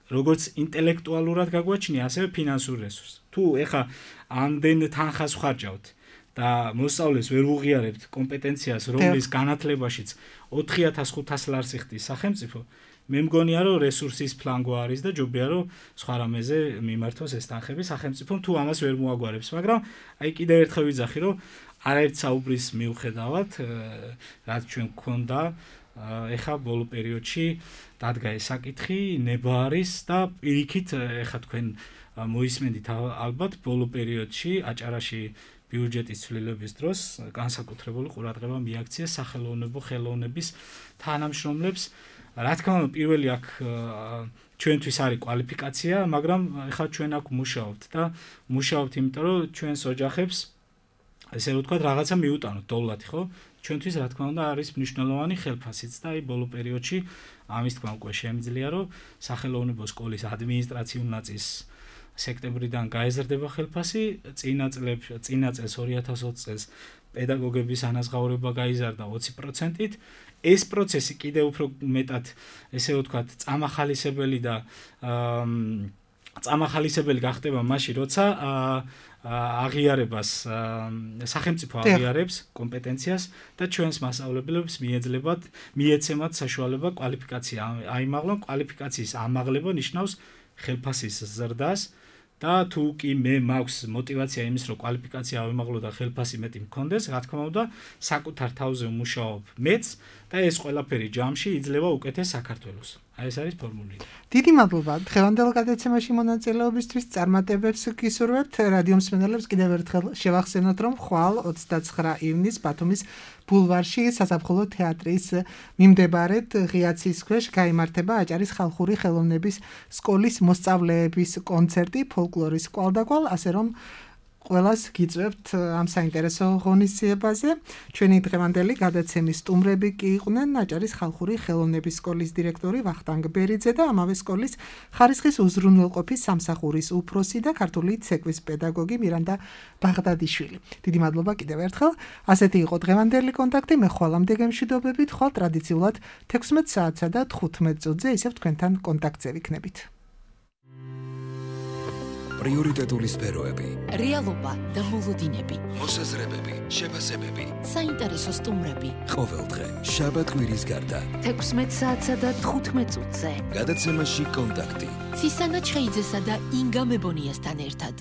როგორც ინტელექტუალურად გაგვაჩნია, ასევე ფინანსურ რესურსს. თუ ეხლა ამდენ თანხას ვხარჯავთ და მოსწავლეს ვერ უღიარებთ კომპეტენციას, რომლის განათლებაშიც 4500 ლარს იხდის სახელმწიფო, მე მგონია, რომ რესურსის ფლანგო არის და ჯობია, რომ სხვა რამეზე მიმართოს ეს თანხები სახელმწიფომ, თუ ამას ვერ მოაგვარებს, მაგრამ აი კიდევ ერთხელ ვიძახი, რომ არაერთ საუბრის მიუხედავად, რაც ჩვენ გქონდა, ეხა ბოლო პერიოდში დადგა ეს საკითხი, ნება არის და პირიქით ეხა თქვენ მოისმენდით ალბათ ბოლო პერიოდში აჭარაში ბიუჯეტის ცვლილების დროს განსაკუთრებული ყურადღება მიაქცია სახელოვნებო ხელოვნების თანამშრომლებს. რა თქმა უნდა, პირველი აქ ჩვენთვის არის კვალიფიკაცია, მაგრამ ეხლა ჩვენ აქ მუშაობთ და მუშაობთ, იმიტომ რომ ჩვენს ოჯახებს ესე რომ ვთქვათ, რაღაცა მიუტანოთ დოვლათი, ხო? ჩვენთვის რა თქმა უნდა არის მნიშვნელოვანი ხელფასიც და აი ბოლო პერიოდში ამის თქმა უკვე შემიძლია, რომ სახელოვნებო სკოლის ადმინისტრაციულ ნაწილს სექტემბრიდან გაეზრდება ხელფასი, წინა წელს 2020 წელს პედაგოგების ანაზღაურება გაიზარდა 20%-ით. ეს პროცესი კიდევ უფრო მეტად ესე ვთქვათ, წამახალისებელი და წამახალისებელი გახდება მაშინ, როცა აღიარებას სახელმწიფო აღიარებს კომპეტენციას და ჩვენს მასწავლებლებს მიეცემათ საშუალება კვალიფიკაცია აიმაღლონ. კვალიფიკაციის ამაღლება ნიშნავს ხელფასის ზრდას და თუ კი მე მაქვს мотиваცია იმის, რომ კვალიფიკაცია ავიმაღლო და ხელფასი მეტი მქონდეს, რა თქმა უნდა, საკუთარ თავზე ვმუშაობ მეც და ეს ყველაფერი ჯამში იძლევა უკეთეს საქართველოს. აი ეს არის ფორმულა. დიდი მადლობა დღევანდელ გადაცემაში მონაწილეობისთვის. წარმატებებს გისურვებთ. რადიო მსმენელებს კიდევ ერთხელ შევახსენოთ, რომ ხვალ 29 ივნისს ბათუმის ბულვარში საზაფხულო თეატრის მიმდებარედ ღიაცის ქვეშ გაიმართება აჭარის ხალხური ხელოვნების სკოლის მოსწავლეების კონცერტი ფოლკლორის კვალდაკვალ, ასე რომ ყველას გიწევთ ამ საინტერესო ღონისძიებაზე. ჩვენი დღევანდელი გადაცემის სტუმრები კი იყვნენ აჭარის ხალხური ხელოვნების სკოლის დირექტორი ვახტანგ ბერიძე და ამავე სკოლის ხარისხის უზრუნველყოფის სამსახურის უფროსი და ქართული ცეკვის პედაგოგი მირანდა ბაღდადიშვილი. დიდი მადლობა კიდევ ერთხელ. ასეთი იყო დღევანდელი კონტაქტი. მე ხვალამდე გემშვიდობებით, ხვალ ტრადიციულად 16 საათსა და 15 წუთზე ისევ თქვენთან კონტაქტზე ვიქნებით. პრიორიტეტული სფეროები, რეალობა და მოლოდინები, მოსაზრებები, შეფასებები, საინტერესო სტუმრები. ყოველდღე შაბათ-კვირის გარდა 16 საათსა და 15 წუთზე. გადაცემაში კონტაქტი. ცისანა ჩხეიძესა და ინგა მებონიასთან ერთად.